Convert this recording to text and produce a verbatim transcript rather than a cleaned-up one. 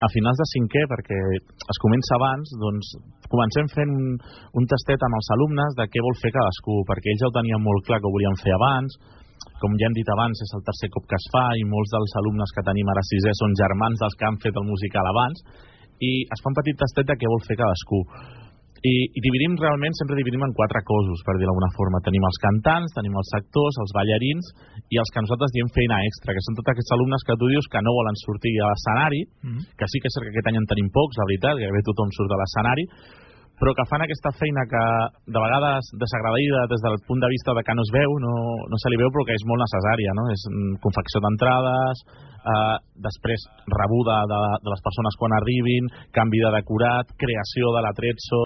a finals de cinquè, perquè es comença abans, doncs comencem fent un, un tastet amb els alumnes de què vol fer cadascú, perquè ells ja ho tenien molt clar que ho volien fer abans. Com ja hem dit abans, és el tercer cop que es fa i molts dels alumnes que tenim ara sisè són germans dels que han fet el musical abans, i es fa un petit tastet de què vol fer cadascú. I, i dividim realment, sempre dividim en quatre cossos, per dir-ho d'alguna forma. Tenim els cantants, tenim els actors, els ballarins i els que nosaltres diem feina extra, que són tots aquests alumnes que tu dius que no volen sortir a l'escenari, mm-hmm. que sí que és cert que aquest any en tenim pocs, la veritat, que bé tothom surt a l'escenari, però que fan aquesta feina que de vegades desagradida des del punt de vista de que no es veu, no, no se li veu, però que és molt necessària, no? És confecció d'entrades, eh, després rebuda de, de les persones quan arribin, canvi de decorat, creació de l'atrezzo,